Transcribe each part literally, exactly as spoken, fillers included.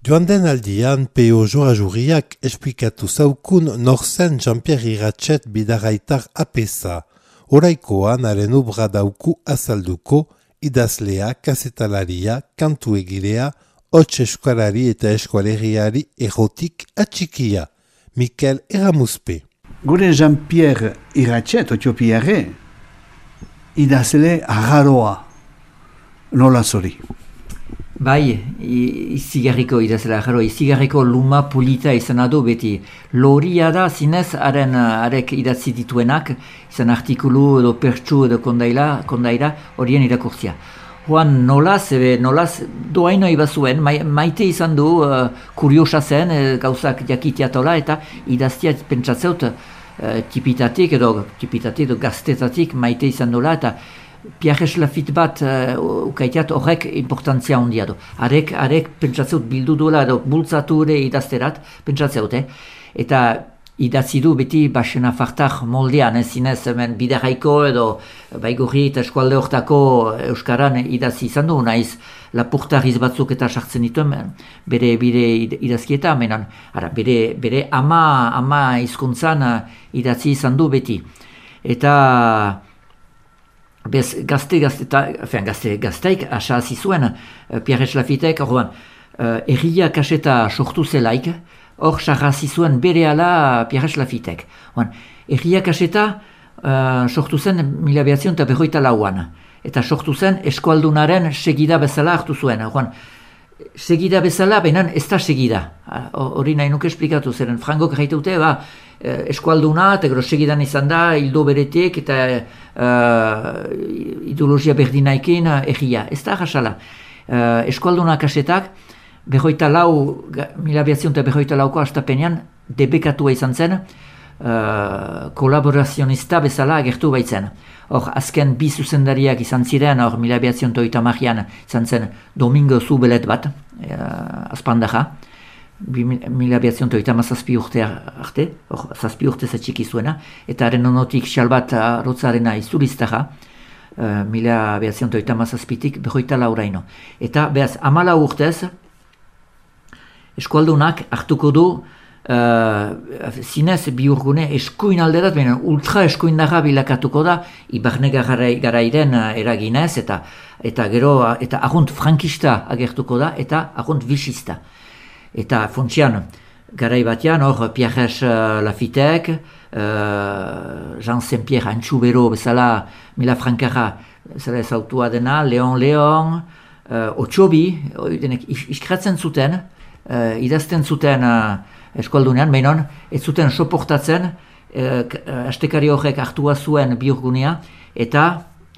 Joan den aldian, P O Joa-Jurriak esplikatu zaukun norzen Jean-Pierre Iratxet bidaraitar apesa. Oraikoan haren obra dauku azalduko, idazlea, kazetalaria, kantu egilea, hots eskualari eta eskualeriari erotik atxikia. Mikel Eramuzpe. Gure Jean-Pierre Iratxet, otiopiare, idazle agarroa, nola zori. Bai, izigarriko idazela jaro, izigarriko luma polita izan adu beti. Loria da zinez haren arek idatzi dituenak, izan artikulu edo pertsu edo kondaila, kondaira horien irakurtzia. Juan nolaz, ebe nolaz doaino ibazuen, maite izan du, uh, kuriosa zen, uh, gauzak jakitiatola eta idaztia pentsatzeut uh, tipitatik edo tipitatik edo gaztetatik maite izan dola eta Pierre Lafit bat uh, ukaiteat horrek importantzia handia du. Arek, arek pentsatzeut bildu duela edo bultzatu ere idazterat pentsatzeut, eh? Eta idatzi du beti basena fartar moldean, ez zinez hemen bidaraiko edo baigorri eta eskualde hortako euskaran idatzi izan du, naiz lapurtariz batzuk eta sartzen dituen bere bire idazkieta, menan, ara, bere, bere ama, ama hizkuntzan idatzi izan du beti. Eta bez gazte gazte eta gazte gazteik asasi zuen uh, Pierre Lafitek orduan uh, erria kaseta sortu zelaik hor sarrasi zuen berehala Pierre Lafitek. Orduan erria kaseta uh, sortu zen mila bederatziehun eta berrogeita lauan eta sortu zen eskualdunaren segida bezala hartu zuen. Orduan segida bezala benan ez da segida. Hori nahi nuke esplikatu zeren Frankok gaitute ba eskualduna eta gero segidan izan da hildo beretik eta uh, ideologia berdinaikin erria. Ez da jasala. Uh, eskualduna kasetak berroita lau, mila behatziehun eta berroita lauko hastapenean debekatua izan zen uh, kolaborazionista bezala agertu baitzen. Hor, azken bi zuzendariak izan ziren, hor mila behatziehun eta hogeita hamarean izan zen Domingo Zubelet bat, uh, azpandaja, mila behatziehun eta hogeita hamazazpi urte arte, hor, zazpi urte zatxiki zuena, eta haren onotik Xalbat Rotzarena izuliztaja, uh, mila behatziehun eta hogeita hamazazpitik berroita lauraino. Eta behaz, hamala urtez, eskualdunak hartuko du Uh, zinez biurgune eskuin alderat, baina ultra eskuindarra bilakatuko da Ibarne garairen eraginez eta eta gero eta agunt frankista agertuko da eta agunt vicista. Eta funtsian garai batean hor Pierre Lafitek, uh, Jean Saint-Pierre Antxubero bezala Mila Frankarra bezala ezautua dena, Leon Leon, uh, Otxobi, denek iskratzen zuten, uh, idazten zuten uh, eskualdunean, behinon, ez zuten soportatzen, eh, astekari horrek hartua zuen biurgunea, eta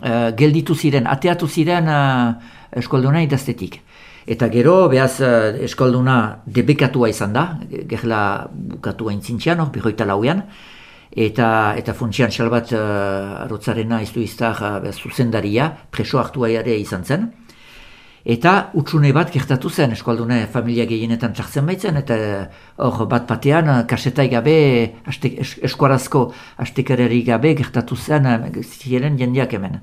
eh, gelditu ziren, ateatu ziren eh, eskualduna idaztetik. Eta gero, behaz, eh, eskualduna debekatua izan da, gerla bukatua intzintzian, hor, berroita lauean, eta, eta funtsian Xalbat eh, Rotzarena iztu iztar eh, zuzendaria, preso hartua ere izan zen. Eta utsune bat gertatu zen, eskualdune familia gehienetan txartzen baitzen, eta hor bat batean kasetai gabe, aste, es, eskuarazko astekarari gabe gertatu zen ziren jendeak hemen.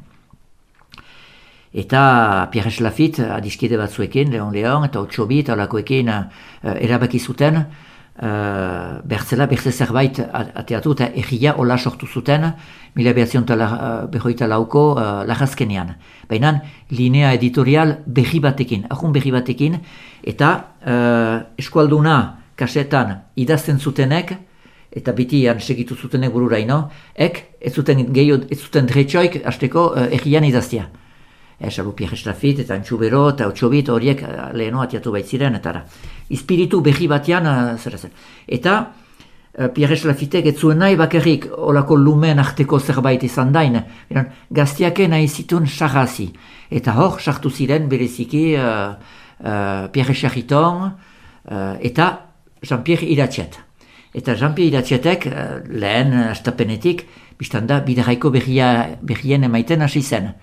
Eta Pierre Lafit adiskide batzuekin, Leon Leon eta Otxobi eta olakoekin uh, erabaki zuten, uh, bertzela bertze zerbait ateatu eta erria hola sortu zuten, mila behatziehun eta berrogeita lauko uh, lagazkenean. Baina linea editorial berri batekin, ahun berri batekin, eta uh, eskualduna kasetan idazten zutenek, eta beti segitu zutenek bururaino, ek ez zuten gehiago, ez zuten dretxoik hasteko uh, errian idaztia. Esalu Pierre Lafit eta Antxubero eta Otxobit horiek uh, leheno atiatu baitziren, eta espiritu berri batean uh, zer zen. Eta uh, Pierre Lafitek ez zuen nahi bakarrik olako lumen arteko zerbait izan dain, gaztiake nahi zituen sarrazi. Eta hor, sartu ziren bereziki uh, uh, Pierre Charriton uh, eta Jean-Pierre Iratxet. Eta Jean-Pierre Iratxetek uh, lehen astapenetik, biztan da, bidaraiko berrien emaiten hasi zen.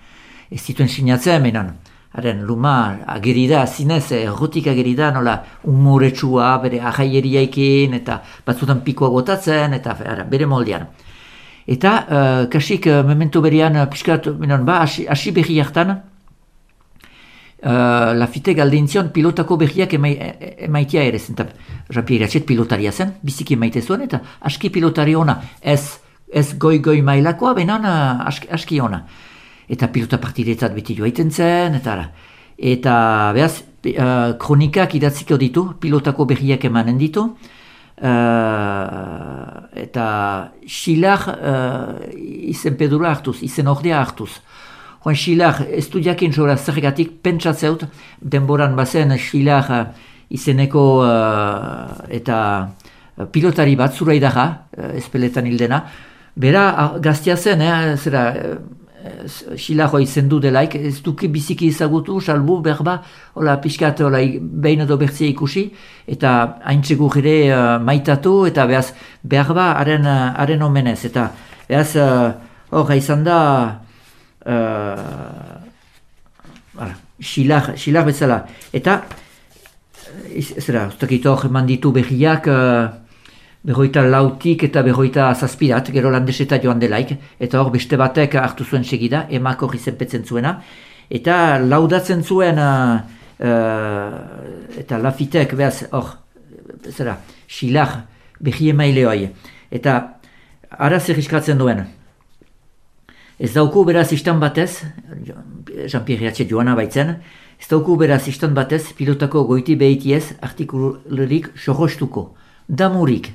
Ez zituen sinatzen, menan, haren luma agerida, zinez, errotik agerida, nola umoretsua, bere ahaieriaikin, eta batzutan pikoa botatzen, eta ara, bere moldean. Eta, uh, kasik, uh, memento berean, uh, piskat, menan, ba, hasi berri hartan, Uh, Lafite galdintzion pilotako berriak emai, emaitia ere zen, eta Jean-Pierre Iratxet pilotaria zen, biziki emaite zuen, eta aski pilotari ona, ez, ez goi-goi mailakoa, benan uh, aski, aski ona. Eta pilota partidetzat beti joaiten zen, eta eta behaz, uh, kronikak idatziko ditu, pilotako berriak emanen ditu, uh, eta xilar uh, izen pedura hartuz, izen ordea hartuz. Joan Xilar, ez du jakin zora zergatik pentsatzeut, denboran bazen Xilar uh, izeneko uh, eta uh, pilotari bat zura idaga, uh, ezpeletan hildena. Bera, uh, gaztia zen, eh, zera, uh, Xilar hoi zendu delaik, ez duki biziki izagutu, salbu, berba, hola, pixkat, hola, behin edo bertzea ikusi, eta haintxegu ere uh, maitatu, eta behaz, berba, haren, uh, haren omenez, eta behaz, hor, uh, izan da, Uh, Xilar, Xilar bezala. Eta, zera, ustakito hor eman ditu berriak, uh, berroita lautik eta berroita zazpirat, gero landeseta joan delaik, eta hor beste batek hartu zuen segida, emak hori zenpetzen zuena, eta laudatzen zuen, uh, uh, eta Lafitek, behaz, hor, zera, Xilar, berri emaile hoi. Eta, ara zer iskatzen duen, ez dauku beraz istan batez, Jean-Pierre Iratxet joana baitzen, ez dauku beraz istan batez pilotako goiti behitiez artikulurik sohostuko, damurik.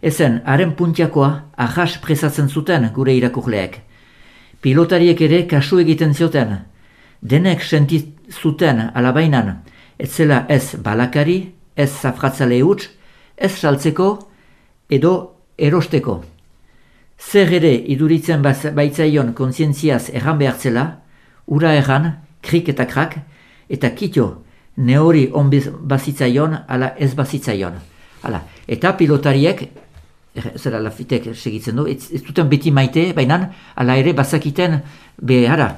Ezen, haren puntiakoa ahas presatzen zuten gure irakurleek. Pilotariek ere kasu egiten zioten, denek sentit zuten alabainan, ez zela ez balakari, ez zafratzale huts, ez saltzeko edo erosteko. Zer ere iduritzen baitzaion kontzientziaz erran behartzela, ura erran, krik eta krak, eta kitio, ne hori on bazitzaion, ala ez bazitzaion. Hala. Eta pilotariek, zera Lafitek segitzen du, ez, ez duten beti maite, baina ala ere bazakiten, behara,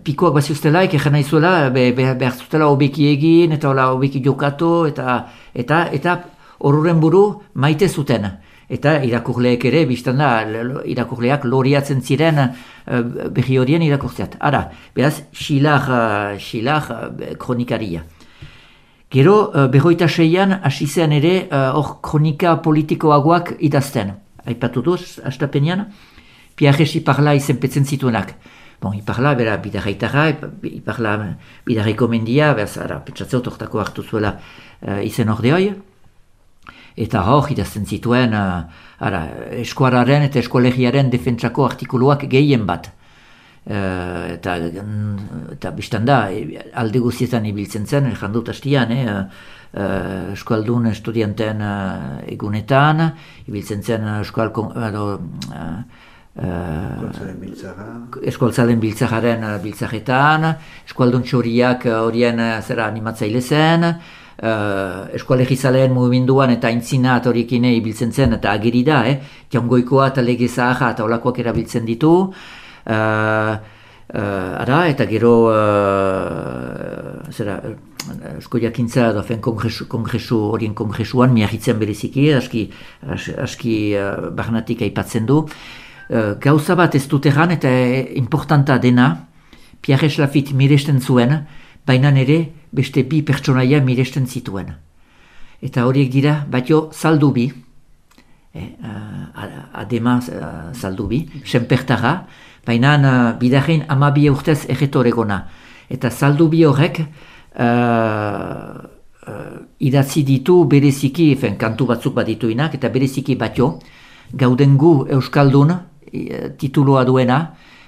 pikoak baziuztelaik, erran nahizuela, be, be, behar zutela hobeki egin, eta hola hobeki jokatu, eta eta eta horren buru maite zuten. Eta irakurleek ere, biztan da, irakurleak loriatzen ziren uh, berri horien irakurtzeat. Ara, beraz, Xilar, uh, Xilar uh, kronikaria. Gero, uh, berroita seian, hasi zen ere, hor uh, kronika politikoagoak idazten. Aipatu duz, astapenean, Piages Iparla izenpetzen zituenak. Bon, Iparla, bera, bidarraitara, Iparla, bidarraiko mendia, beraz, ara, petsatzeu tortako hartu zuela uh, izen ordeoi. Eta hor, idazten zituen, uh, ara, eskuararen eta eskolegiaren defentsako artikuluak gehien bat. Uh, eta, eta biztan da, alde guztietan ibiltzen zen, jandut hastian, eh, uh, eskualdun estudianten uh, egunetan, ibiltzen zen eskual... Uh, uh, eskualtzalen biltzaren uh, biltzaretan, eskualdun txoriak horien uh, zera animatzaile zen, Uh, eskualegizaleen mugimenduan eta aintzinat horiekin ibiltzen zen eta ageri da, eh? Jaungoikoa eta lege zaharra eta olakoak erabiltzen ditu. Uh, uh, ara, eta gero uh, zera, esko jakintza dofen kongresu, kongresu horien kongresuan miarritzen bereziki, aski, aski uh, barnatik aipatzen du. Uh, gauza bat ez dut erran eta importanta dena, Piages Lafit miresten zuen, baina ere beste bi pertsonaia miresten zituen. Eta horiek dira, batio Zaldubi, eh, uh, adema uh, Zaldubi, senpertara, baina uh, bidarrein amabi urtez erretoregona. Eta Zaldubi horrek uh, uh, idatzi ditu bereziki, fen, kantu batzuk badituinak, eta bereziki batio, gaudengu Euskaldun uh, tituloa duena,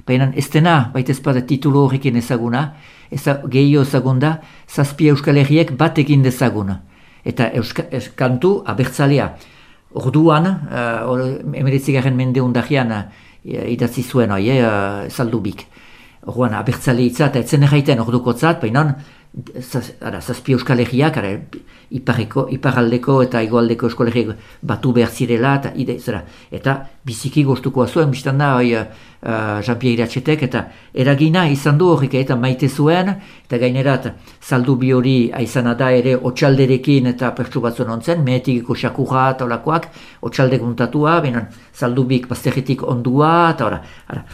baina ez dena, baita ezpada titulo horrekin ezaguna, eza, gehio ezagunda, zazpi Euskal Herriek bat egin dezaguna. Eta euska, es, kantu abertzalea. Orduan, uh, emeretzigarren mende undahian uh, idatzi zuen, oi, uh, Zaldubik. Orduan, abertzale hitza eta etzen erraiten ordukotzat, baina zaz, ara, zazpi Euskal Herriak, ara, ipareko, iparaldeko eta igualdeko Euskal Herriak batu behar zirela, eta, ide, zera, eta biziki goztukoa zuen, biztan da, oi, uh, Jean-Pierre Iratxetek, eta eragina izan du horrek, eta maite zuen, eta gainerat, Zaldubi hori aizana da ere otxalderekin eta pertsu batzuen ontzen, mehetikiko xakurra eta olakoak, otxaldek muntatua, baina Zaldubik bazterretik ondua, eta ora, ara.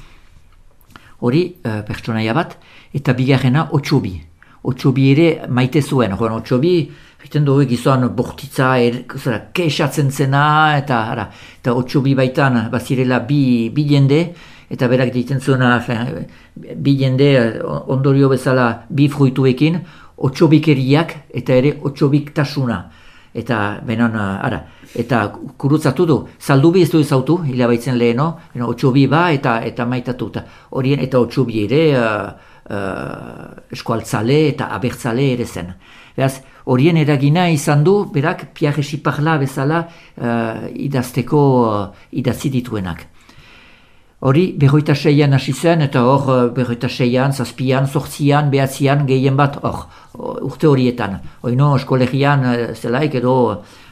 Hori uh, pertsonaia bat, eta bigarrena Otxubi. Otsobi ere maite zuen, joan Otsobi, egiten dugu gizon bortitza, er, zera, kexatzen zena, eta, ara, eta Otsobi baitan bazirela bi, bi jende, eta berak ditzen zuena, bi jende ondorio bezala bi fruituekin, Otsobikeriak eta ere otsobiktasuna. Eta benon, ara, eta kurutzatu du, Zaldubi ez du ezautu, hilabaitzen leheno, Otsobi ba eta eta maitatu. Horien eta Otsobi ere uh, uh, eskualtzale eta abertzale ere zen. Beraz, horien eragina izan du, berak Pierre Chiparla bezala uh, idazteko uh, idatzi dituenak. Hori, berroita seian hasi zen, eta hor, berroita seian, zazpian, zortzian, behatzian, gehien bat, hor, urte horietan. Oino, eskolegian zelaik, edo,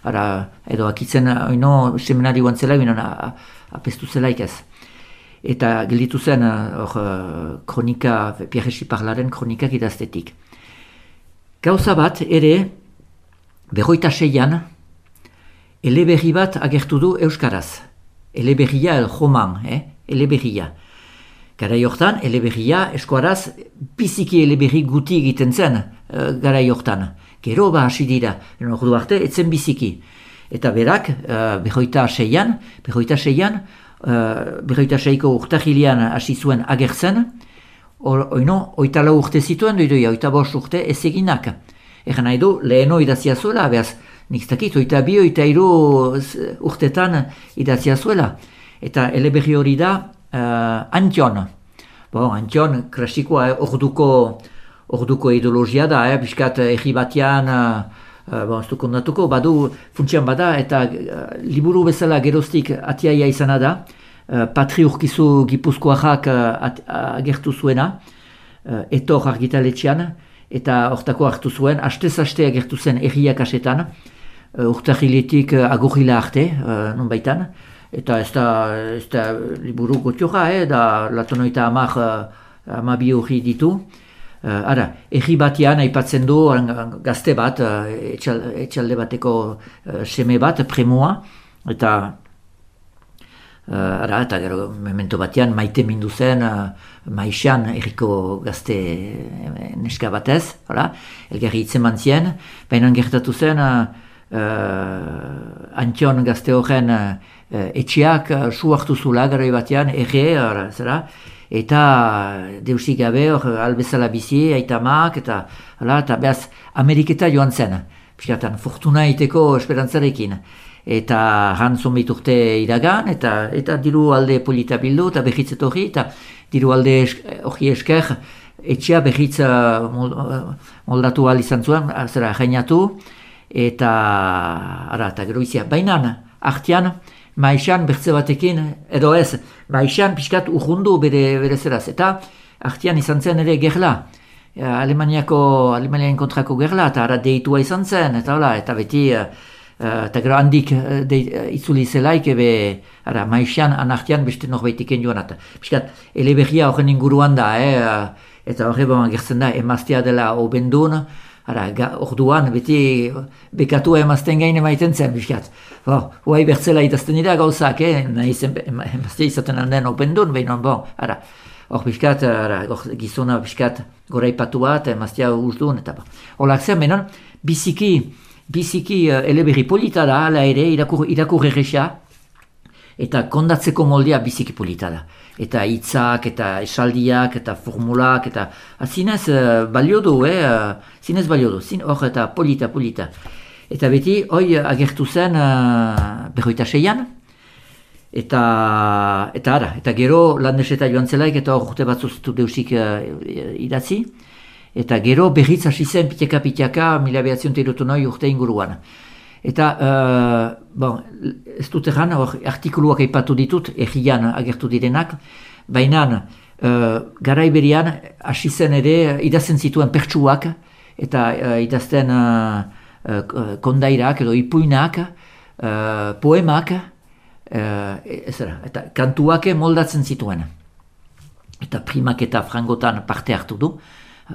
ara, edo akitzen, oino, seminari guan zelaik, binon, apestu zelaik ez. Eta gelditu zen, hor, kronika, Pierre Chiparlaren kronikak idaztetik. Gauza bat, ere, berroita seian, eleberri bat agertu du euskaraz. Eleberria el roman, eh? Eleberria. Garai hortan, eleberria eskuaraz biziki eleberri guti egiten zen uh, garai hortan. Gero ba hasi dira, ordu arte etzen biziki. Eta berak, uh, berroita seian, berroita seian, uh, berroita seiko urtahilian hasi zuen agertzen, or, oino, oita lau urte zituen doidoia, oita bost urte ez eginak. Egan nahi du, leheno idazia zuela, behaz, nik dakit, oita bi, oita iru urtetan idazia zuela. Eta eleberri hori da uh, Antion. Bon, Antion, klasikoa, eh, orduko, orduko ideologia da, eh, biskat egi batean, uh, bon, ez du kondatuko, badu funtsian bada, eta uh, liburu bezala geroztik atiaia izana da, uh, Patri Urkizu Gipuzkoarrak uh, agertu zuena, uh, etor argitaletxean, eta hortako hartu zuen, hastez-haste agertu zen erriak asetan, uh, urtahiletik uh, agurrila arte, uh, non baitan, eta ez da, ez da liburu gotioja, eh, da latonoita amak uh, amabi hori ditu. Uh, ara, erri batean aipatzen du gazte bat, uh, etxal, etxalde bateko uh, seme bat, premoa, eta uh, ara, eta gero memento batean maite mindu zen uh, maixan erriko gazte uh, neska batez, hala, elgarri hitzeman zien, baina gertatu zen uh, uh, Antion gazte horren uh, etxeak uh, su hartu zula garai batean, erre, ara, zera, eta deusik gabe hor albezala bizi, aitamak, eta, hala, eta behaz Ameriketa joan zen, piskatan, fortuna iteko esperantzarekin. Eta han zonbait urte iragan, eta, eta diru alde polita bildu, eta behitzet hori, eta diru alde hori esker, etxea behitz uh, moldatu ahal izan zuen, zera, jainatu, eta, ara, eta gero izia, bainan, artean, maixan bertze batekin, edo ez, maixan pixkat urrundu bere, bere zeraz, eta artean izan zen ere gerla, Alemaniako, Alemaniaren kontrako gerla, eta ara deitua izan zen, eta hola, eta beti, uh, eta gero handik uh, de, uh, itzuli zelaik, ebe, ara, maixan, anartean beste norbaitiken joan, eta pixkat, eleberria horren inguruan da, eh, eta horre bon, gertzen da, emaztea dela obendun, ara, orduan, beti bekatua emazten gain emaiten zen, biskat. Bo, huai bertzela itazten dira gauzak, eh? Nahiz emazte izaten aldean opendun, behinon, bon, ara, hor biskat, ara, gizona biskat goraipatu bat, emaztea uzdun, eta ba. Horlak zen, behinon, biziki, biziki uh, eleberri polita da, ala ere, irakur, irakur erresa, eta kondatzeko moldea biziki polita da. Eta hitzak, eta esaldiak, eta formulak, eta zinez uh, balio du, eh? Uh, zinez balio du, zin hor eta polita, polita. Eta beti, hoi agertu zen uh, berroita seian, eta, eta ara, eta gero landeseta joan zelaik, eta hor urte batzuzitu deusik uh, idatzi, eta gero berriz hasi zen piteka-piteka mila behatzion terutu noi urte inguruan. Eta, uh, bon, ez dut egan, artikuluak aipatu ditut, errian agertu direnak, baina uh, garai berian hasi zen ere idazten zituen pertsuak, eta uh, idazten uh, uh, kondairak edo ipuinak, uh, poemak, uh, ezera, eta kantuak moldatzen zituen. Eta primak eta frangotan parte hartu du,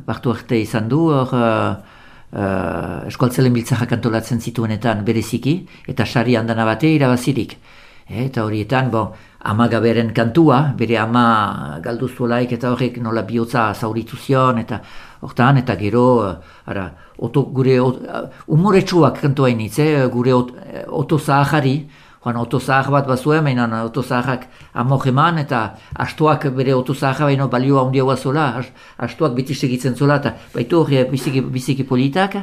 parte arte izan du, hor, uh, Uh, eskualtzelen biltzakak antolatzen zituenetan bereziki, eta sari handana bate irabazirik. E, eta horietan, bon, amagaberen kantua, bere ama galdu zuelaik, eta horrek nola bihotza zauritu zion, eta hortan, eta gero, ara, oto, gure umoretsuak kantu hainitz, eh, gure ot, oto zahari, joan oto zahar bat bazuen, mainan oto zaharak amok eman, eta astuak bere oto zahar baino balioa handia zola, astuak beti segitzen zola, eta baitu hori biziki, biziki politak,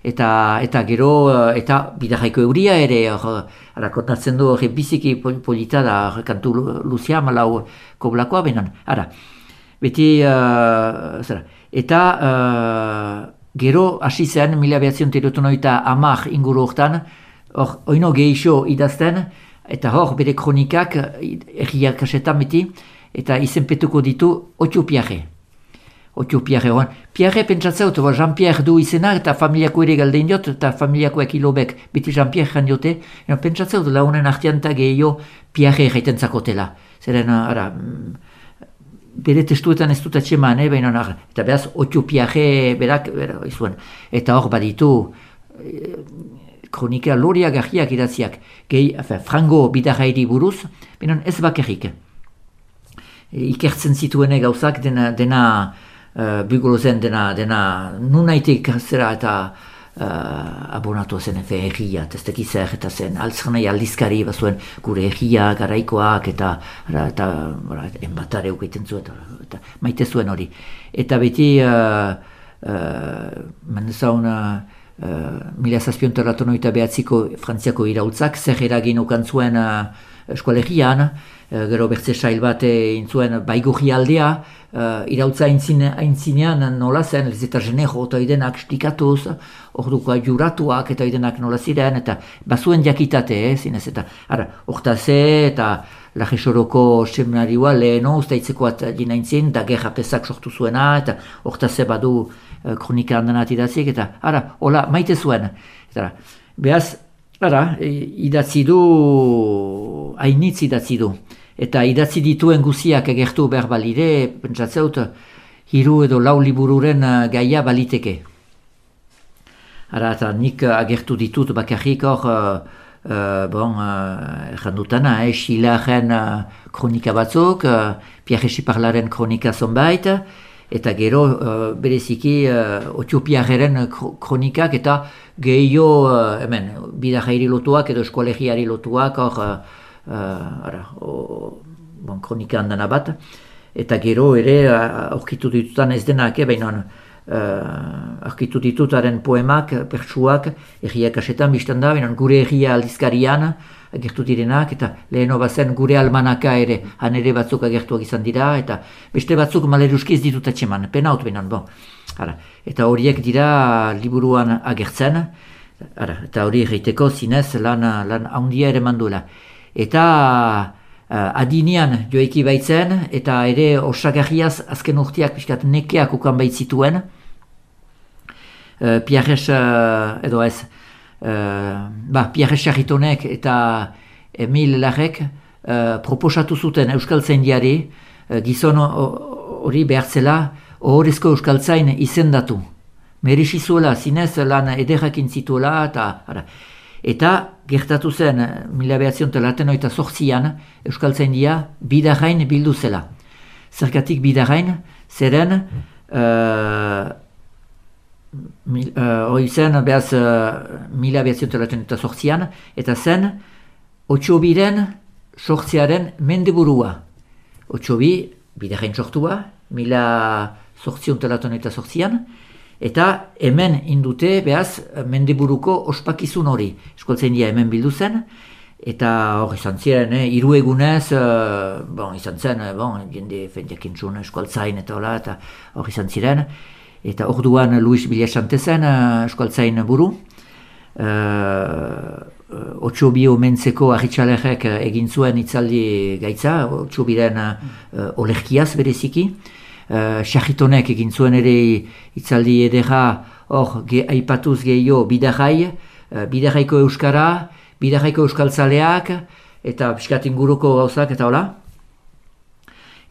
eta eta gero, eta bidarraiko euria ere, ara, kontatzen du hori biziki polita da, kantu luzia, malau koblakoa benan, ara, beti, uh, zera, eta uh, gero hasi zen, mila behatzion terotonoita amak inguru hortan, hor, oino gehixo idazten, eta hor, bere kronikak, erriak kasetan beti, eta izenpetuko ditu Otio Piarre. Otio Piarre, horan. Piarre pentsatzeut, Jean-Pierre du izena, eta familiako ere galdein diot, eta familiakoek ilobek, beti Jean-Pierre jan diote, pentsatzeut, launen artean eta gehiago Piarre jaiten zakotela. Zeren, ara, bere testuetan ez dut atxeman, eh, baina, ara, eta behaz, Otio Piarre berak, berak, izuen, eta hor baditu, eh, kronika loria garriak idatziak, gehi, afe, frango bidarrairi buruz, baina ez bakarrik. Ikertzen zituene gauzak dena, dena uh, bugolozen dena, dena nunaitek zera eta uh, abonatu zen efe erria, tezteki zer eta zen altzernai aldizkari bazuen gure erria, garaikoak eta, eta, eta, eta enbatare ukaiten zu eta, eta maite zuen hori. Eta beti, uh, uh, mendezaun, uh, mila zazpion terratonoita behatziko frantziako iraultzak, zer eragin ukan zuen uh, eskolegian, uh, gero bertze sail bat intzuen baigurri aldea, uh, iraultza aintzinean nola zen, ez eta jenejo eta idenak stikatuz, orduko juratuak eta idenak nola ziren, eta bazuen jakitate, eh, zinez, eta ara, ortaze eta Lajesoroko seminarioa leheno, ustaitzekoat jinaintzin, da gerra pesak sortu zuena, eta ortaze badu uh, kronika handanat idatzik, eta ara, hola, maite zuen. Eta, behaz, ara, idatzi du, hainitz idatzi du. Eta idatzi dituen guziak egertu behar balide, pentsatzeut, hiru edo lau libururen gaia baliteke. Ara, eta nik agertu ditut bakarrik hor, uh, uh, bon, uh, jandutana, eh, Xilaren uh, kronika batzuk, uh, Pierre Xiparlaren kronika zonbait, eta gero uh, bereziki uh, Otio Piarreren kronikak eta gehiago uh, hemen, bidarrairi lotuak edo eskolegiari lotuak hor uh, uh, ara, o, bon, kronika handana bat, eta gero ere aurkitu uh, ditutan ez denak, eh, baina uh, aurkitu ditutaren poemak, pertsuak, erriak asetan biztan da, baina gure erria aldizkarian agertu direnak, eta leheno bazen gure almanaka ere, han ere batzuk agertuak izan dira, eta beste batzuk maleruski ez ditut atxeman, pena hot benan, bon. Ara, eta horiek dira liburuan agertzen, ara, eta hori egiteko zinez lan, lan handia ere manduela. Eta uh, adinean joeki baitzen, eta ere osagarriaz azken urteak pixkat nekeak ukan baitzituen, uh, Pierres uh, edo ez, Uh, ba, Pierre Charitonek eta Emil Larrek uh, proposatu zuten Euskaltzaindiari uh, gizon hori behartzela ohorezko Euskaltzain izendatu. Merezi zuela, zinez lan ederrakin zituela, eta, ara. Eta gertatu zen mila behatzion telatenoita zortzian Euskaltzaindia bidarrain bildu zela. Zergatik bidarrain, zeren uh, hori uh, zen, behaz, uh, mila behatzion telaten eta sortzian, eta zen, Otxobiren sortziaren mendeburua. Otxobi, bidarrain sortua, mila sortzion telaten eta sortzian, eta hemen indute, behaz, mendeburuko ospakizun hori. Eskoltzaindia hemen bildu zen, eta hor izan ziren, eh, hiru egunez, uh, bon, izan zen, bon, jende fendiakintzun eskoltzain eta hola, eta hor izan ziren, eta orduan Luis Bilasante zen uh, eskualtzain buru. Uh, Otxobi omentzeko arritxalerrek egin zuen itzaldi gaitza, Otxobiren uh, olerkiaz bereziki. Uh, Charitonek egin zuen ere itzaldi edera hor ge, aipatuz gehiago bidarrai, uh, bidarraiko euskara, bidarraiko euskaltzaleak, eta piskat inguruko gauzak eta hola.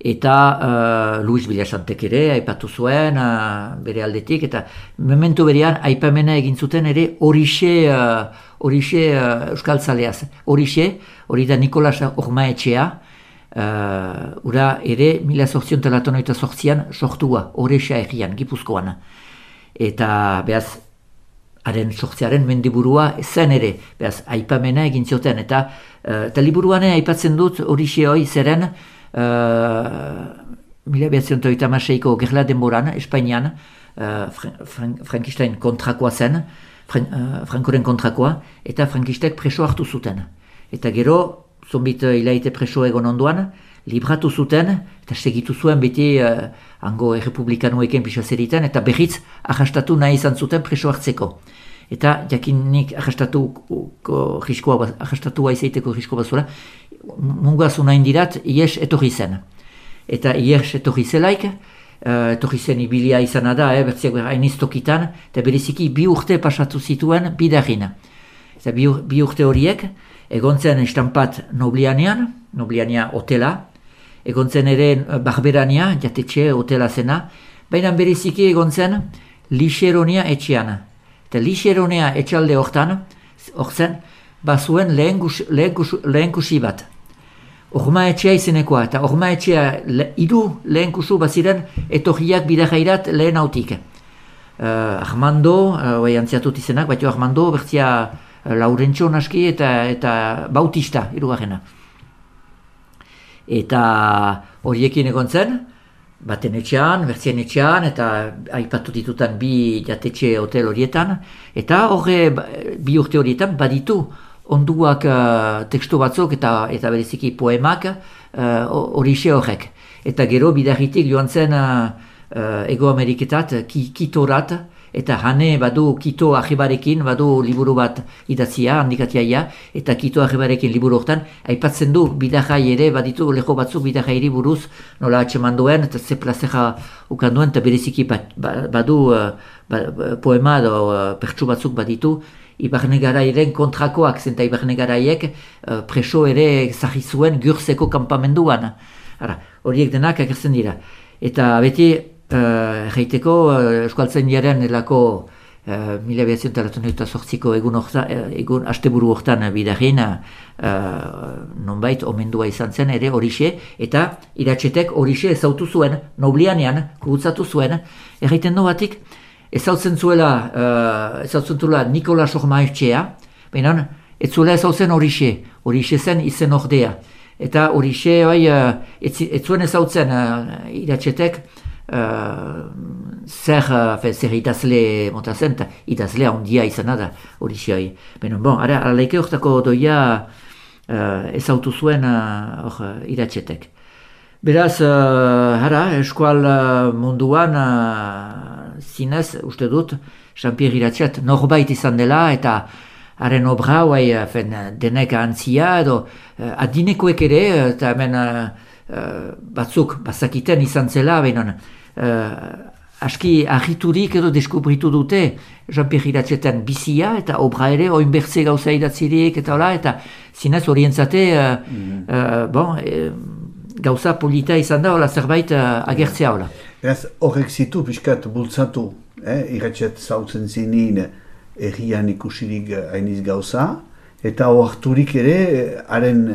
Eta uh, Luis Bilasantek ere aipatu zuen uh, bere aldetik, eta memento berean aipamena egin zuten ere horixe uh, horixe uh, euskaltzaleaz. Horixe, hori da Nikolas Ormaetxea, uh, ura ere mila zortzion talatonoita zortzian sortua, Orexa egian, Gipuzkoan. Eta behaz, haren sortzearen mendiburua zen ere, behaz, aipamena egin zioten. Eta, uh, eta liburuane aipatzen dut horixe hoi zeren, uh, mila behatzion toita maseiko gerla denboran, Espainian, uh, Fran Frankistain kontrakoa zen, Fran uh, Frankoren kontrakoa, eta Frankistek preso hartu zuten. Eta gero, zonbit hilaite preso egon onduan, libratu zuten, eta segitu zuen beti uh, hango errepublikanueken pixo zeriten, eta berriz ahastatu nahi izan zuten preso hartzeko. Eta jakinik ahastatuko riskoa, ahastatua izaiteko riskoa bazura, mungazu nahi dirat, ies etorri zen. Eta ies etorri zelaik, uh, etorri zen ibilia izan da, eh, bertziak hainiz tokitan, eta bereziki bi urte pasatu zituen bidarin. Eta bi, bi urte horiek, egon zen estampat Noblianean, Nobliania hotela, egon zen ere Barberania, jatetxe hotela zena, baina bereziki egon zen Lixeronia etxean. Eta Lixeronia etxalde hortan, horzen, bazuen lehen, gus, lehen, gus, lehen kusi bat. Orma etxea izenekoa, eta orma etxea le, idu lehen kusu baziren etorriak bidajairat lehen hautik. Uh, Armando, uh, antziatut izenak, batio Armando, bertzia uh, Laurentxo naski eta, eta Bautista, hirugarrena. Eta horiekin egon zen, baten etxean, bertzien etxean, eta aipatu ditutan bi jatetxe hotel horietan, eta horre bi urte horietan baditu onduak uh, tekstu batzuk eta eta bereziki poemak horixe uh, horrek. Eta gero bidarritik joan zen uh, uh, Ego Ameriketat, ki, Kitorat, eta hane badu Kito ahibarekin, badu liburu bat idatzia, handikatiaia, eta Kito ahibarekin liburu hortan, aipatzen du bidajai ere, baditu leho batzuk bidajairi buruz, nola atxeman duen, eta ze plazera ukan duen, eta bereziki badu uh, ba, poema edo uh, pertsu batzuk baditu, Ibarne Garairen kontrakoak, zenta Ibarne Garaiek uh, preso ere zahi zuen Gürzeko kanpamenduan. Ara, horiek denak agertzen dira. Eta beti, erraiteko, uh, Euskaltzen jaren elako uh, mila behatzen talatun eta sortziko egun, orta, egun asteburu hortan bidarin, uh, nonbait omendua izan zen ere horixe, eta iratxetek horixe ezautu zuen, Noblianean, kugutzatu zuen, erraiten du batik, ezautzen zuela, uh, ezautzen zuela Nikola Sormaetxea, baina ez zuela ezautzen horixe, horixe zen izen ordea. Eta horixe, bai, uh, ez, ez zuen ezautzen uh, iratxetek, uh, zer, uh, zer idazle mota zen, eta idazlea ondia izan da horixe. Baina, bon, ara, alaike hortako doia uh, ezautu zuen uh, or, iratxetek. Beraz, uh, hara, eskual uh, munduan, uh, zinez, uste dut, Jean-Pierre Iratxet norbait izan dela, eta haren obra, bai, denek antzia, edo uh, adinekoek ere, eta hemen uh, uh, batzuk bazakiten izan zela, behinon, uh, aski ahiturik edo deskubritu dute Jean-Pierre Iratxeten bizia, eta obra ere, oinbertze gauza idatzirik, eta hola, eta zinez orientzate, uh, mm-hmm. uh, bon, uh, gauza polita izan da, hola zerbait uh, agertzea hola. Beraz, horrek zitu pixkat bultzatu, eh? Iratxet zautzen zinin errian ikusirik hainiz gauza, eta oarturik ere, haren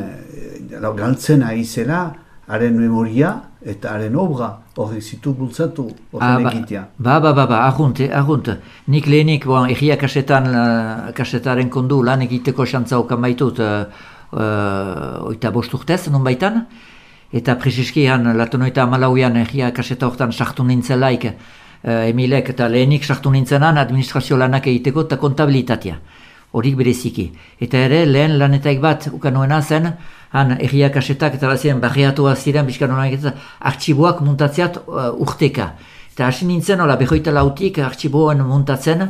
galtzen aizela, haren memoria eta haren obra, horrek zitu bultzatu, horren egitea. Ba, ba, ba, ba, argunt, argunt. Nik lehenik, bon, erria kasetan, uh, kasetaren kondu lan egiteko xantza okan baitut, uh, uh, oita bost urtez, non baitan, eta preziskian, latonoita amalauian erria kaseta hortan sartu nintzelaik uh, Emilek, eta lehenik sartu nintzenan administrazio lanak egiteko eta kontabilitatea. Horik bereziki. Eta ere, lehen lanetaik bat ukanoena zen, han erria kasetak eta bazien barriatuak ziren, bizkan honak eta artxiboak muntatzeat uh, urteka. Eta hasi nintzen, hola, behoita lautik artxiboen muntatzen,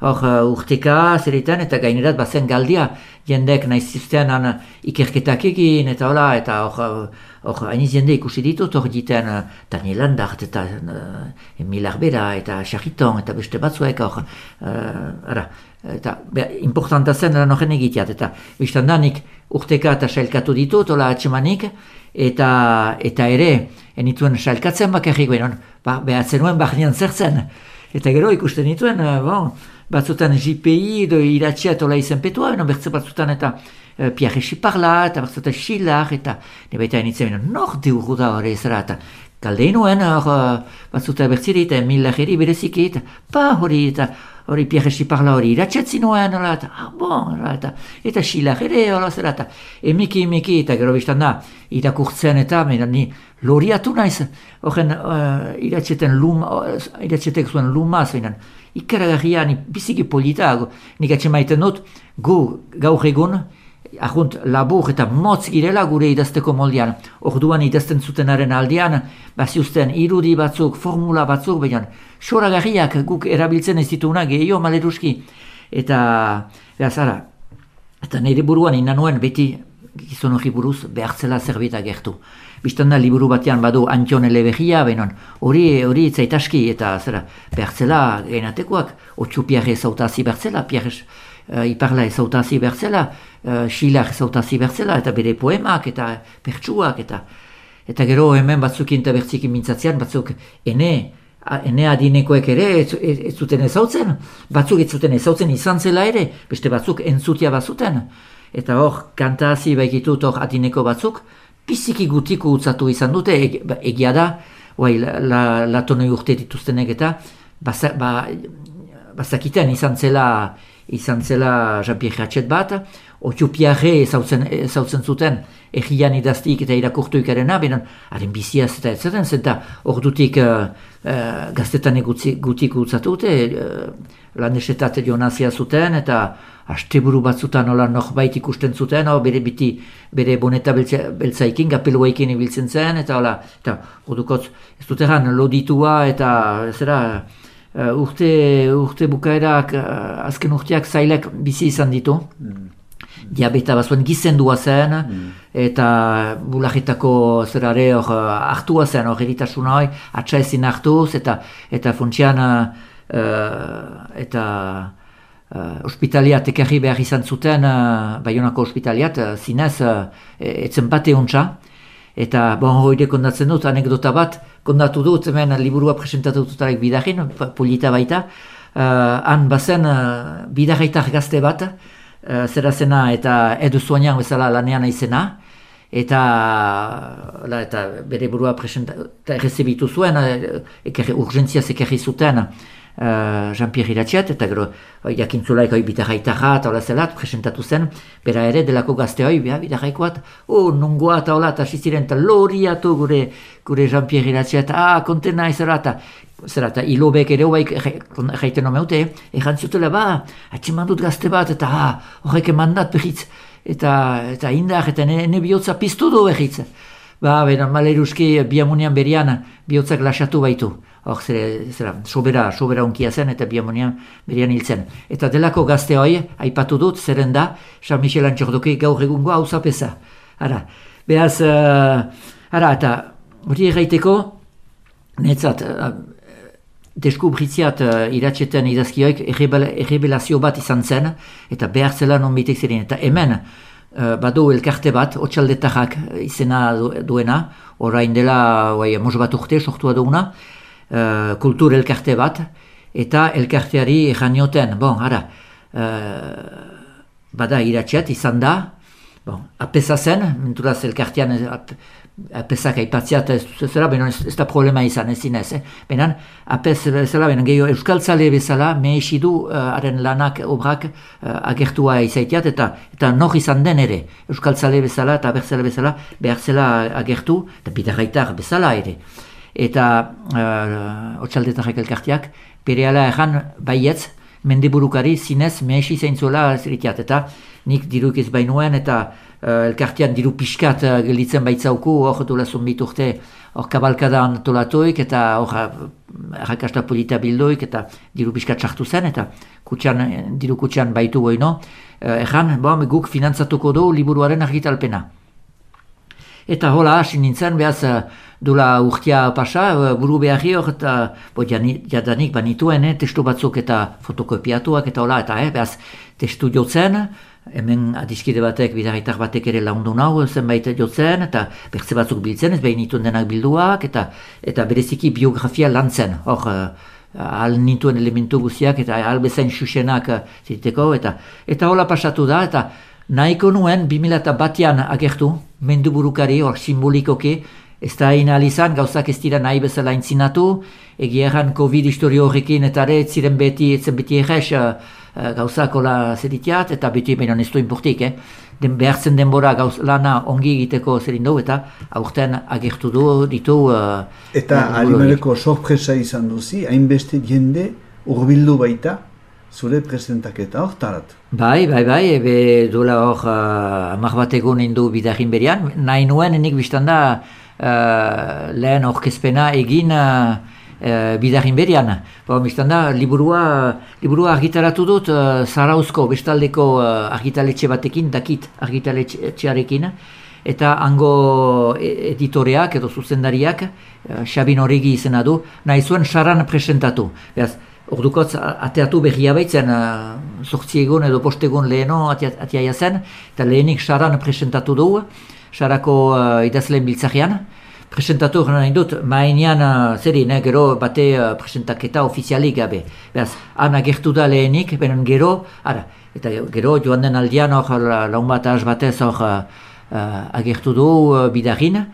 hor uh, urteka zeretan, eta gainerat bazen galdia, jendek nahi ziztean han ikerketak egin, eta hola, eta hor, hor, hainiz jende ikusi ditut, hor diten uh, Daniel Landart, eta uh, Emil Arbera, eta Charriton, eta beste batzuek, hor, uh, ara, eta be, importanta zen lan horren egiteat, eta biztan da nik urteka eta sailkatu ditut, hola atxemanik, eta, eta ere, enituen sailkatzen bakarrik, benon, ba, behatzen nuen bahnean zertzen. Eta gero ikusten nituen, bon, batzutan J P I edo iratxea tola izenpetua, beno bertze batzutan eta uh, Pierre Xiparla, eta batzutan Xilar, eta ne baita enitzen, beno, nor deurru da hori ezera, eta kaldeinoen, uh, batzutan bertziri, eta Millageri bereziki, eta pa hori, eta hori Pierre Xiparla hori iratxetzi nuen, ola, eta, ah, bon, ola, eta, eta Xilar ere, ola, zera, eta emiki, emiki, eta gero biztan da, irakurtzen eta, mena, ni loriatu naiz, horren uh, iratxeten luma, uh, iratxetek zuen lumaz, benen, ikaragarria, ni biziki polita, nik atxe maiten dut, gu gaur egun, ahunt labur eta motz girela gure idazteko moldean. Orduan idazten zutenaren aldean, baziuzten irudi batzuk, formula batzuk, baina soragarriak guk erabiltzen ez dituna gehiago maleruski. Eta, behaz, ara, eta nire buruan inanuen beti gizon hori buruz behartzela zerbait agertu. Bistan da liburu batean badu Antion Eleberria, benon, hori hori zaitaski eta zera, behartzela genatekoak, otxu Pierre zautazi behartzela, Pierre uh, Iparla zautazi behartzela, uh, Xilar zautazi behartzela, eta bere poemak, eta pertsuak, eta eta gero hemen batzuk eta bertziki mintzatzean, batzuk ene, ene adinekoek ere ez, ez, ez zuten ezautzen, batzuk ez zuten ezautzen izan zela ere, beste batzuk entzutia bazuten, eta hor kantazi baikitut hor adineko batzuk, biziki gutiko utzatu izan dute, eg, egia da, oai, la, latonoi urte dituztenek eta basa, ba, bazakiten izan zela, izan zela Jean-Pierre Ratchet bat, Otxu Pierre ezautzen zuten egian idaztik eta irakurtu ikarena, benen, haren biziaz eta ez zaten, zenta ordutik uh, uh, gaztetan gutiko utzatu dute, uh, landesetat jonazia zuten, eta asteburu batzutan nola norbait ikusten zuten, o, bere biti, bere boneta beltza, beltzaikin, gapeluaikin ibiltzen zen, eta hola, eta ordukotz, ez dut egan, loditua, eta zera, uh, urte, urte bukaerak, uh, azken urteak zailak bizi izan ditu, mm. diabeta bazuen gizendua zen, mm. eta bulajetako zerare hor hartua zen, hor eritasuna hori, atxa ezin hartuz, eta, eta funtsian, uh, eta Uh, ospitaliat ekarri behar izan zuten, uh, Baionako ospitaliat, uh, zinez, uh, etzen bate ontsa. Eta bon, hoide kondatzen dut, anekdota bat, kondatu dut, hemen liburua presentatu dutarik bidarin, polita baita. Uh, han bazen uh, bidarraitar gazte bat, uh, zera zena eta edu soinan bezala lanean izena. Eta, la, eta bere burua presentatu, errezibitu zuen, uh, ekerri, urgentziaz ekarri zuten, Uh, Jean-Pierre Iratxet, eta gero jakintzulaik hoi bitarraitarra eta hola zelat, presentatu zen, bera ere delako gazte hoi, bitarraikoat, oh, nungoa eta hola, eta siziren, eta loriatu gure, gure Jean-Pierre Iratxet, ah, kontena izara, eta zera, eta hilobek ere hoaik jaiten omeute, egan zutela, ba, atxeman dut gazte bat, eta ah, horrek emandat behitz, eta, eta indar, eta ene bihotza piztu du behitz. Ba, bera, maleruski biamunian berian bihotzak lasatu baitu. Hor, zera, zera, sobera, sobera unkia zen eta biamunian berian hil zen. Eta delako gazte hoi, aipatu dut, zeren da, Jean-Michel Antxordoki gaur egungo hau zapesa. Ara, behaz, uh, ara, eta hori erraiteko, netzat, uh, deskubritziat uh, iratxeten idazkioik errebelazio bat izan zen, eta behar zela non bitek ziren. Eta hemen, Uh, badu elkarte bat, otxaldetarrak izena duena, orain dela oai, mos bat urte sortua duguna, uh, kultur elkarte bat, eta elkarteari janioten, bon, ara, uh, bada iratxet izan da, bon, apesa zen, menturaz elkartean ap, apesak aipatziat ez zera, benon ez, ez da problema izan, ez zinez, eh? Benan, apes bezala, benon gehiago euskaltzale bezala, mehesidu uh, haren lanak, obrak uh, agertua izaiteat, eta eta nor izan den ere, euskaltzale bezala eta abertzale bezala, behartzela agertu, eta bidarraitar bezala ere. Eta uh, otxaldetarrak elkarteak, berehala erran baietz, mendeburukari zinez mehesi zaintzuela ziritiat, eta nik diruk ez bainuen, eta uh, elkartean diru pixkat uh, gelditzen baitzauku, hor dola zonbit urte, hor kabalkada antolatuik, eta hor errakasta polita bildoik, eta diru pixkat sartu zen, eta kutxan, diru kutxan baitu goino, uh, erran, bon, guk finantzatuko du liburuaren argitalpena. Eta hola, hasi nintzen, behaz, dula urtia pasa, buru beharri hor, eta bo, jadanik banituen, eh, testu batzuk eta fotokopiatuak, eta hola, eta eh, behaz, testu jotzen, hemen adiskide batek, bidarritar batek ere laundu nau, zenbait jotzen, eta bertze batzuk biltzen, ez behin itun denak bilduak, eta eta bereziki biografia lantzen, hor, ahal nintuen elementu guziak, eta ahal bezain xuxenak ziteko, eta eta hola pasatu da, eta nahiko nuen bi mila batean agertu, menduburukari, hor simbolikoki, ez da hain izan, gauzak ez dira nahi bezala intzinatu, egia erran Covid historio horrekin, eta ere, ziren beti, etzen beti errez, gauzak hola zeritiat, eta beti behinan ez du inportik, eh? Den, behartzen denbora gauz lana ongi egiteko zerin dugu, eta aurten agertu du, ditu... Uh, eta Alimereko sorpresa izan duzi, hainbeste jende urbildu baita, zure presentaketa hor tarat. Bai, bai, bai, ebe duela hor uh, amak bat egun indu bidarin berian, nahi nuen enik biztan da uh, lehen orkezpena egin uh, uh, bidarin berian. Ba, biztan da, liburua, liburua argitaratu dut uh, Zarauzko bestaldeko uh, argitaletxe batekin, dakit argitaletxearekin, eta hango editoreak edo zuzendariak, uh, Xabin Origi izena du, nahi zuen saran presentatu. Beraz, ordukotz ateatu berria baitzen, uh, zortzi egun edo post egun leheno atiaia zen, eta lehenik saran presentatu du, sarako uh, idazleen biltzarean. Presentatu nahi dut, mainean, uh, zerin, eh, gero bate uh, presentaketa ofizialik gabe. Beraz, han agertu da lehenik, benen gero, ara, eta gero joan den aldian hor laun bat ahaz batez hor uh, uh, agertu du uh, bidarin.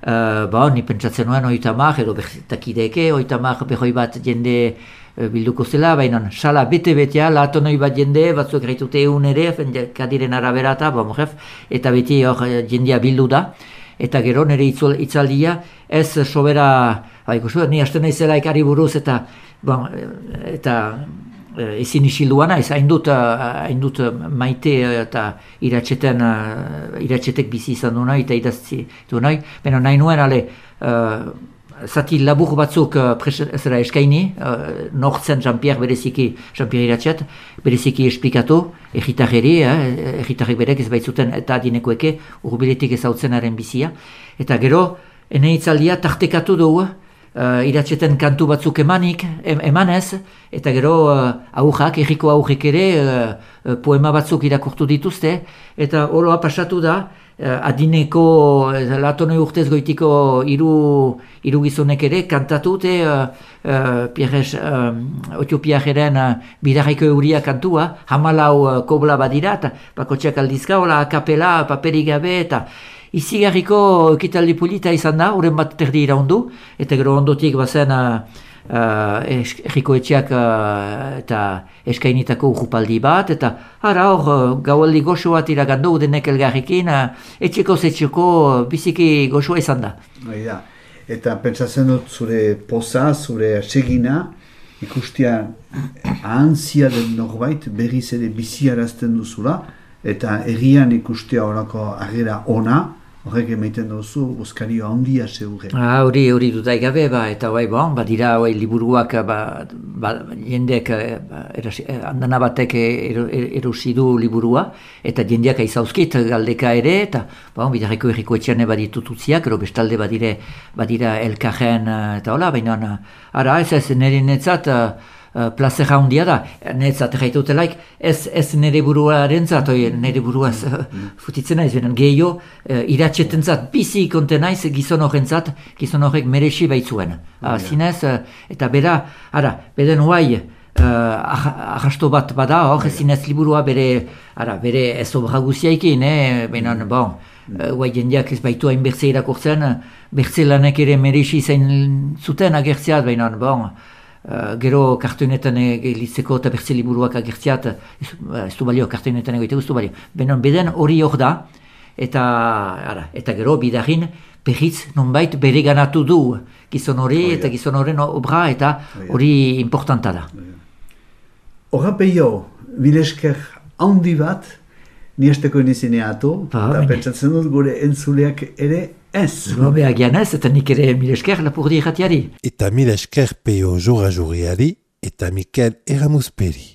Uh, ba, ni pentsatzen nuen oitamak, edo bertakideke, oitamak behoi bat jende bilduko zela, baina sala bete-betea, latonoi bat jende, batzuk gaitute egun ere, kadiren araberata, ba, mojef, eta beti hor jendea bildu da, eta gero nire itzaldia, ez sobera, ba, ikustu, ni hasten naizela ikari buruz, eta, bon, eta ezin isilduana, ez hain dut, hain dut maite eta iratxeten, iratxetek bizi izan du nahi, eta idazti du nahi, baina nahi nuen, ale, uh, zati labur batzuk uh, ezera eskaini, uh, nortzen Jean-Pierre bereziki, Jean-Pierre iratxet, bereziki esplikatu, egitarreri, eh, egitarrek berek ez baitzuten eta adinekoeke urbiletik ezautzenaren bizia. Eta gero, ene itzaldia tartekatu dugu, uh, iratxeten kantu batzuk emanik, em, emanez, eta gero uh, aurrak, erriko aurrek ere, uh, poema batzuk irakurtu dituzte, eta oroa pasatu da, Uh, adineko uh, latonoi urtez goitiko hiru hiru gizonek ere kantatute uh, uh, Pierres uh, Otiopiajeren uh, bidarraiko euria kantua, hamalau uh, kobla badira, eta bakotxeak aldizka, hola akapela, paperik gabe, eta izigarriko ekitaldi polita izan da, horren bat terdi iraundu, eta gero ondotik bazen uh, Uh, erriko etxeak uh, eta eskainitako urrupaldi bat, eta ara hor uh, gaualdi goxo bat iragandu denek elgarrekin, uh, etxeko zetxeko uh, biziki goxoa izan da. Baina, eta pentsatzen dut zure poza, zure segina, ikustia ahantzia den norbait berriz ere biziarazten duzula, eta errian ikustia horako agera ona, horrek emaiten duzu, bozkario handia zeure. Ah, hori, hori dudaik gabe, ba, eta bai, bon, badira, bai, liburuak, ba, ba, jendeak, ba, erasi, andana batek erosi du liburua, eta jendeak aizauzkit galdeka ere, eta, bon, bidarreko erriko etxean baditututziak, ero bestalde badire, badira elkarren, eta hola, baina, ara, ez ez, nire netzat, Uh, plazera handia da, netzat gaitutelaik, ez, ez nire buruaren zat, nire buruaz uh, futitzen naiz, benen gehiago, uh, iratxeten zat, bizi konten naiz gizon horren zat, gizon horrek merexi baitzuen. Uh, zinez, uh, eta bera, ara, beden huai, uh, arrasto bat bada, hor, zinez liburua bere, ara, bere ez obra guziaikin, eh, benen, bon, huai uh, jendeak ez baitu hain bertze irakurtzen, bertze lanek ere merexi zain zuten agertzeat, benen, bon, Uh, gero kartoinetan egilitzeko eta bertze liburuak agertziat, ez, ez du balio, kartoinetan egoiteko ez du balio. Benen, beden hori hor da, eta, ara, eta gero bidarin berriz nonbait bere ganatu du gizon hori, oh, eta yeah. Gizon horren obra, eta hori oh, yeah. Importanta da. Horra oh, peio, bilesker handi bat, niesteko inizineatu, eta pentsatzen dut gure entzuleak ere, ez. Gobe agian ez, eta nik ere mil esker lapurdi erratiari. Eta mil esker peio jora juriari, eta Mikel Eramusperi.